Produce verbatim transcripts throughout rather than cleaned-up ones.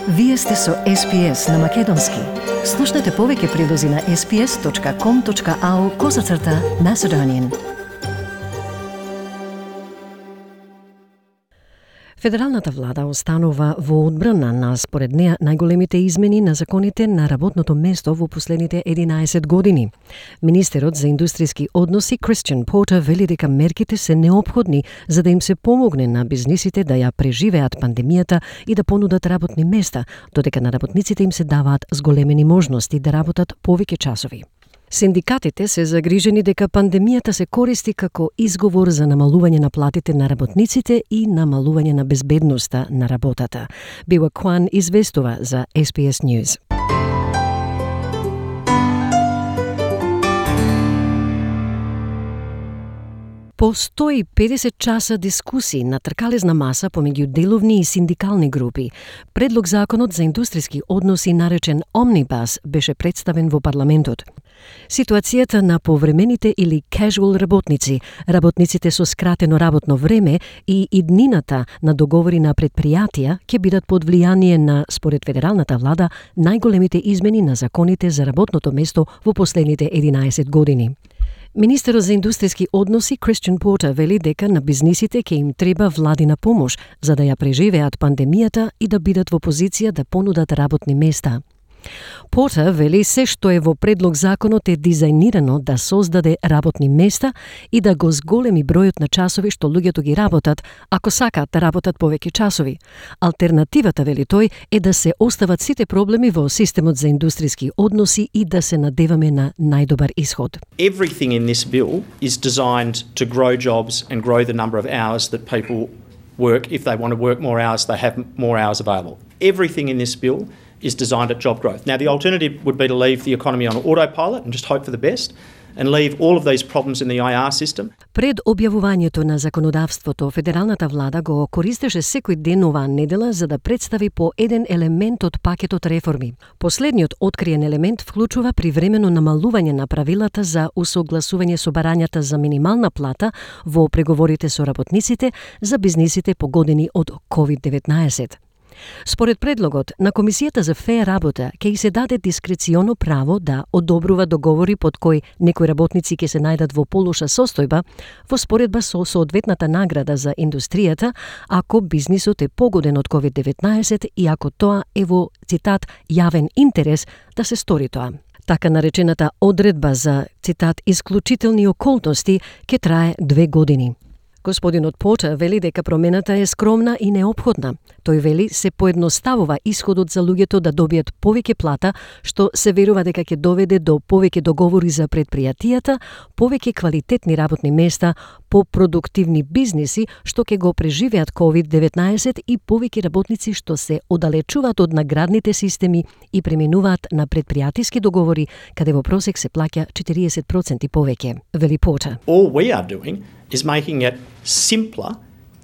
Вие сте со Ес Би Ес на Македонски. Слушнете повеќе прилози на ес би ес точка ком точка ау козацрта Macedonian. Федералната влада останува во одбрана на според неа најголемите измени на законите на работното место во последните единаесет години. Министерот за индустријски односи Кристијан Портер вели дека мерките се неопходни за да им се помогне на бизнисите да ја преживеат пандемијата и да понудат работни места, додека на работниците им се даваат зголемени можности да работат повеќе часови. Синдикатите се загрижени дека пандемијата се користи како изговор за намалување на платите на работниците и намалување на безбедноста на работата. Била Кван известува за Ес Би Ес News. По сто и педесет часа дискусии на тркалезна маса помеѓу деловни и синдикални групи, предлог законот за индустријски односи наречен Омнибус беше представен во парламентот. Ситуацијата на повремените или casual работници, работниците со скратено работно време и иднината на договори на предпријатија ќе бидат под влијание на, според федералната влада, најголемите измени на законите за работното место во последните единаесет години. Министерот за индустријски односи Кристијан Портер вели дека на бизнисите ќе им треба владина помош за да ја преживеат пандемијата и да бидат во позиција да понудат работни места. Портер вели се што е во предлог законот е дизајнирано да создаде работни места и да го зголеми бројот на часови што луѓето ги работат, ако сакаат да работат повеќе часови. Алтернативата, вели тој, е да се остават сите проблеми во системот за индустријски односи и да се надеваме на најдобар исход. Everything in this bill is designed to grow jobs and grow the number of hours that people work. If they want to work more hours, they have more hours available. Everything in this bill is designed at job growth. Now, the alternative would be to leave the economy on autopilot and just hope for the best and leave all of these problems in the I R system. Пред објавувањето на законодавството, федералната влада го користеше секој ден оваа недела за да представи по еден елемент од пакетот реформи. Последниот откриен елемент вклучува привремено намалување на правилата за усогласување со барањата за минимална плата во преговорите со работниците за бизнисите погодени од ковид деветнаесет. Според предлогот на Комисијата за феа работа ќе се даде дискреционо право да одобрува договори под кои некои работници ќе се најдат во полоша состојба во споредба со соодветната награда за индустријата ако бизнисот е погоден од ковид деветнаесет и ако тоа е во, цитат, јавен интерес да се стори тоа. Така наречената одредба за, цитат, исклучителни околности ќе трае две години. Господинот Портер вели дека промената е скромна и неопходна. Тој вели се поедноставува исходот за луѓето да добијат повеќе плата, што се верува дека ќе доведе до повеќе договори за предпријатијата, повеќе квалитетни работни места, попродуктивни бизниси што ќе го преживеат ковид деветнаесет и повеќе работници што се оддалечуваат од наградните системи и преминуваат на предпријатиски договори каде во просек се плаќа четириесет проценти повеќе, вели Портер. All we are doing is making it simpler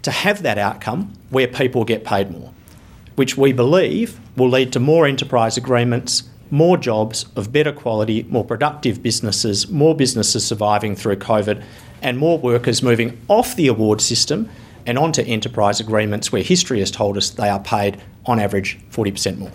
to have that outcome where people get paid more, which we believe will lead to more enterprise agreements, more jobs of better quality, more productive businesses, more businesses surviving through COVID, and more workers moving off the award system and onto enterprise agreements where history has told us they are paid on average forty percent more.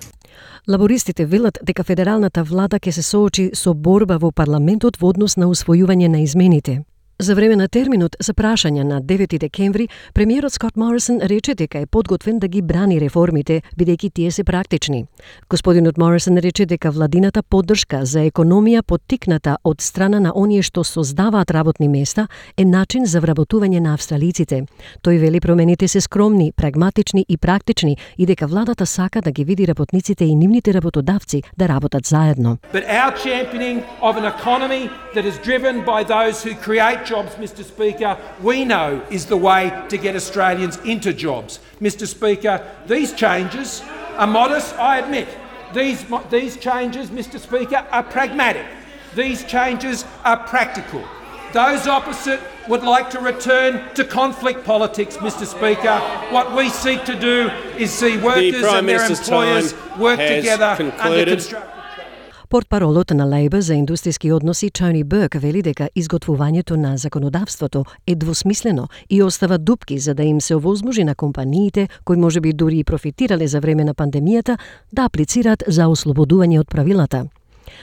Лабористите велат дека федералната влада ќе се соочи со борба во парламентот во однос на усвојување на измените. За време на терминот за прашање на девети декември, премиерот Скот Морисон рече дека е подготвен да ги брани реформите, бидејќи тие се практични. Господинот Морисон рече дека владината поддршка за економија поттикната од страна на оние што создаваат работни места е начин за вработување на австралиците. Тој вели промените се скромни, прагматични и практични и дека владата сака да ги види работниците и нивните работодавци да работат заедно. But our championing of an economy that is driven by those who create jobs, Mister Speaker, we know is the way to get Australians into jobs. Mister Speaker, these changes are modest, I admit. These, these changes, Mister Speaker, are pragmatic. These changes are practical. Those opposite would like to return to conflict politics, Mister Speaker. What we seek to do is see workers and their employers work together under constructive. Портпаролот на Лейбър за индустријски односи Тони Бърк вели дека изготвувањето на законодавството е двосмислено и остава дупки за да им се овозможи на компаниите кои можеби дури и профитирале за време на пандемијата да аплицираат за ослободување од правилата.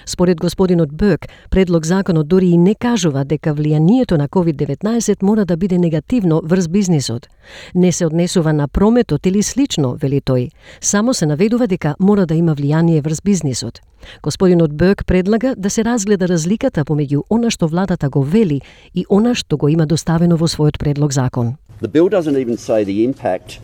Според господинот Бърк, предлог законот дури и не кажува дека влијанието на ковид деветнаесет мора да биде негативно врз бизнисот. Не се однесува на прометот или слично, вели тој. Само се наведува дека мора да има влијание врз бизнисот. Господинот Бърк предлага да се разгледа разликата помеѓу она што владата го вели и она што го има доставено во својот предлог закон. The bill doesn't even say the impact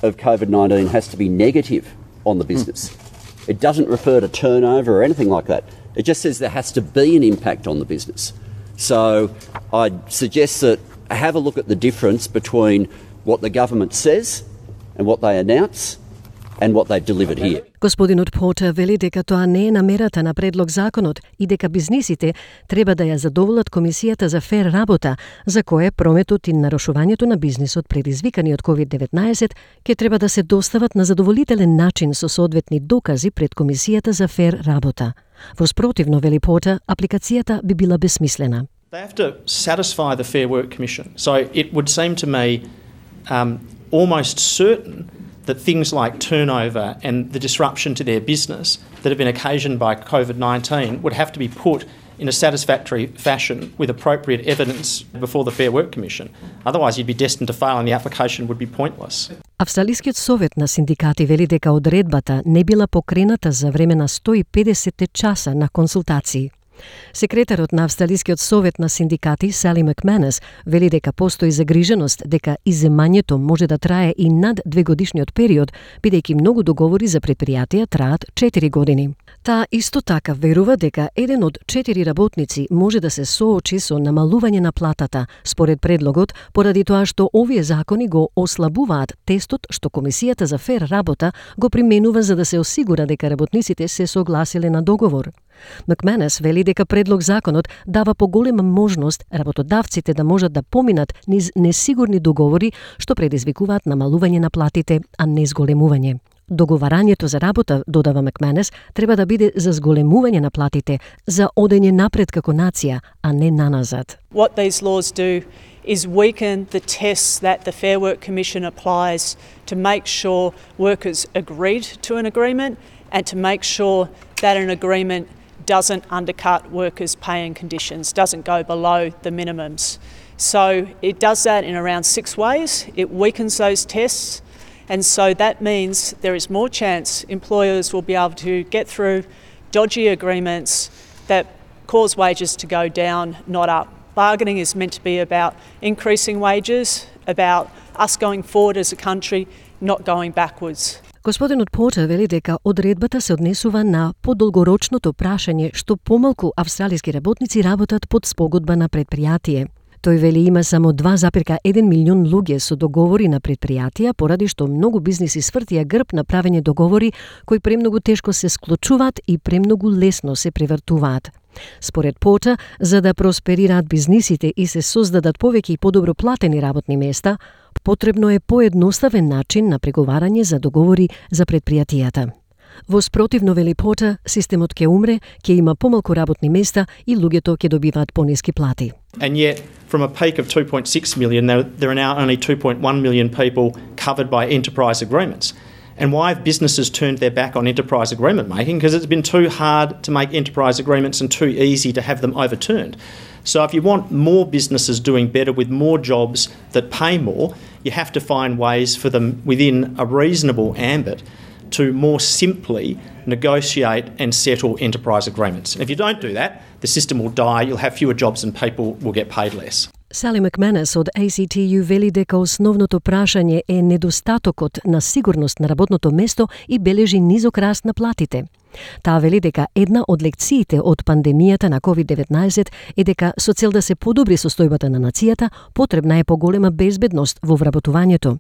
of COVID nineteen has to be negative on the business. Mm. It doesn't refer to turnover or anything like that. It just says there has to be an impact on the business. So I'd suggest that have a look at the difference between what the government says and what they announce and what they've delivered here. Господинот Портер вели дека тоа не е намерата на предлог законот и дека бизнисите треба да ја задоволат Комисијата за фер работа, за кое прометот и нарушувањето на бизнисот предизвикани од ковид деветнаесет ќе треба да се достават на задоволителен начин со соодветни докази пред Комисијата за фер работа. Во спротивно, вели Портер, апликацијата би била бесмислена. They have to satisfy the Fair Work Commission. So it would seem to me um, almost certain that things like turnover and the disruption to their business that have been occasioned by COVID nineteen would have to be put in a satisfactory fashion with appropriate evidence before the Fair Work Commission. Otherwise you'd be destined to fail and the application would be pointless. Австралискиот совет на синдикати вели дека одредбата не била покрената за време на сто и педесет часа на консултации. Секретарот на Австралискиот совет на синдикати Сали Макманес вели дека постои загриженост дека иземањето може да трае и над двегодишниот период, бидејќи многу договори за предпријатија траат четири години. Таа исто така верува дека еден од четири работници може да се соочи со намалување на платата, според предлогот, поради тоа што овие закони го ослабуваат тестот што Комисијата за фер работа го применува за да се осигура дека работниците се согласиле на договор. Макманес вели дека предлог законот дава поголема можност работодавците да можат да поминат низ несигурни договори што предизвикуваат намалување на платите, а не зголемување. Договарањето за работа, додава Макманес, треба да биде за зголемување на платите, за одење напред како нација, а не наназад. What these laws do is weaken the tests that the Fair Work Commission applies to make sure workers agreed to an agreement and to make sure that an agreement doesn't undercut workers' pay and conditions, doesn't go below the minimums. So it does that in around six ways. It weakens those tests, and so that means there is more chance employers will be able to get through dodgy agreements that cause wages to go down, not up. Bargaining is meant to be about increasing wages, about us going forward as a country, not going backwards. Господинот Портер вели дека одредбата се однесува на подолгорочното прашање што помалку австралиски работници работат под спогодба на предпријатие. Тој вели има само два запирка еден милион луѓе со договори на предпријатија, поради што многу бизниси свртија грб на правење договори кои премногу тешко се склучуваат и премногу лесно се превртуваат. Според Портер, за да просперираат бизнисите и се создадат повеќе и подобро платени работни места, потребно е поедноставен начин на преговарање за договори за предпријатијата. Во спротивно, вели Портер, системот ќе умре, ќе има помалку работни места и луѓето ќе добиваат пониски плати. And yet, from a peak of two point six million, there, there are now only two point one million people covered by enterprise agreements. And why have businesses turned their back on enterprise agreement making? Because it's been too hard to make enterprise agreements and too easy to have them overturned. So if you want more businesses doing better with more jobs that pay more, you have to find ways for them within a reasonable ambit to more simply negotiate and settle enterprise agreements. And if you don't do that, the system will die, you'll have fewer jobs and people will get paid less. Сали Макманес од A C T U вели дека основното прашање е недостатокот на сигурност на работното место и бележи низок раст на платите. Таа вели дека една од лекциите од пандемијата на ковид деветнаесет е дека со цел да се подобри состојбата на нацијата, потребна е поголема безбедност во вработувањето.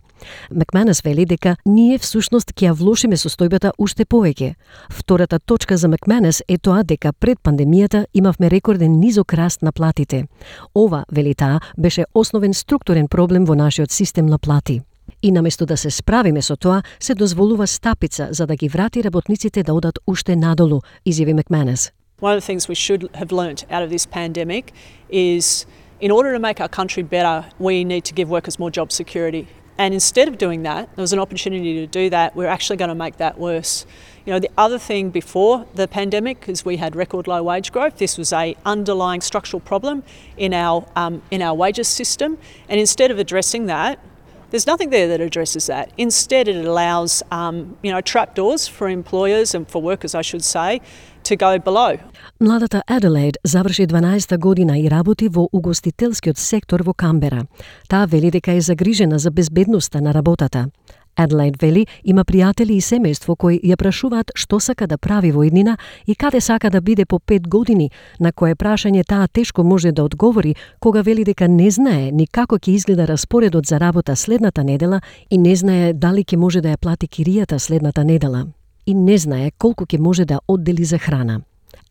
Макманес вели дека ние всушност ќе ја влошиме состојбата уште повеќе. Втората точка за Макманес е тоа дека пред пандемијата имавме рекорден низок раст на платите. Ова, вели таа, беше основен структурен проблем во нашиот систем на плати. И наместо да се справиме со тоа, се дозволува стапица за да ги врати работниците да одат уште надолу, изјави Макманес. One of the things we should have learnt out of this pandemic is in order to make our country better, we need to give workers more job security. And instead of doing that, there was an opportunity to do that, we're actually going to make that worse. You know, the other thing before the pandemic is we had record low wage growth. This was a underlying structural problem in our um, in our wages system. And instead of addressing that, there's nothing there that addresses that. Instead, it allows um, you know, trapdoors for employers and for workers, I should say, to go below. Младата Аделаид заврши дванаесета година и работи во угостителскиот сектор во Камбера. Таа вели дека е загрижена за безбедноста на работата. Аделаид вели има пријатели и семејство кои ја прашуваат што сака да прави во иднина и каде сака да биде по пет години, на кое прашање таа тешко може да одговори кога вели дека не знае ни како ќе изгледа распоредот за работа следната недела и не знае дали ќе може да ја плати киријата следната недела и не знае колку ќе може да оддели за храна.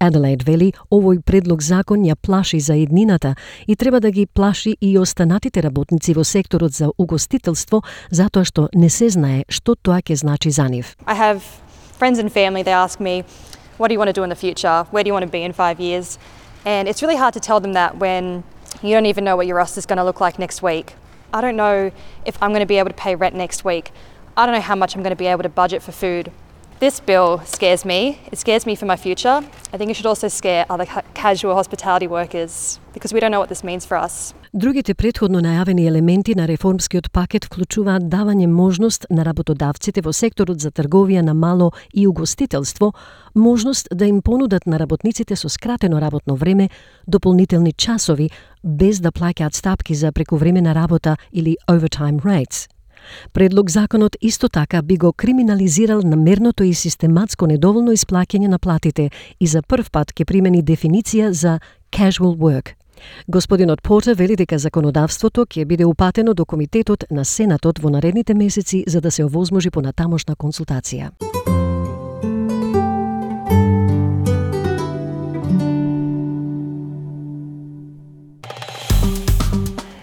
Аделаид вели овој предлог закон ја плаши за иднината и треба да ги плаши и останатите работници во секторот за угостителство затоа што не се знае што тоа ќе значи за нив. I have friends and family, they ask me, what do you want to do in the future? Where do you want to be in five years? And it's really hard to tell them that when you don't even know what your roster is going to look like next week. I don't know if I'm going to be able to pay rent next week. I don't know how much I'm going to be able to budget for food. This bill scares me. It scares me for my future. I think it should also scare other ca- casual hospitality workers because we don't know what this means for us. Другите претходно најавени елементи на реформскиот пакет вклучуваат давање можност на работодавците во секторот за трговија на мало и угостителство, можност да им понудат на работниците со скратено работно време дополнителни часови без да плаќаат стапки за прековремена работа или overtime rates. Предлог законот исто така би го криминализирал намерното и систематско недоволно исплаќање на платите и за прв пат ќе примени дефиниција за casual work. Господинот Портер вели дека законодавството ќе биде упатено до Комитетот на Сенатот во наредните месеци за да се овозможи понатамошна консултација.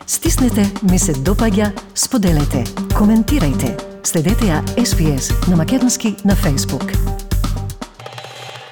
Стиснете, ми се допаѓа, споделете, коментирајте. Следете ја Ес Би Ес на македонски на Facebook.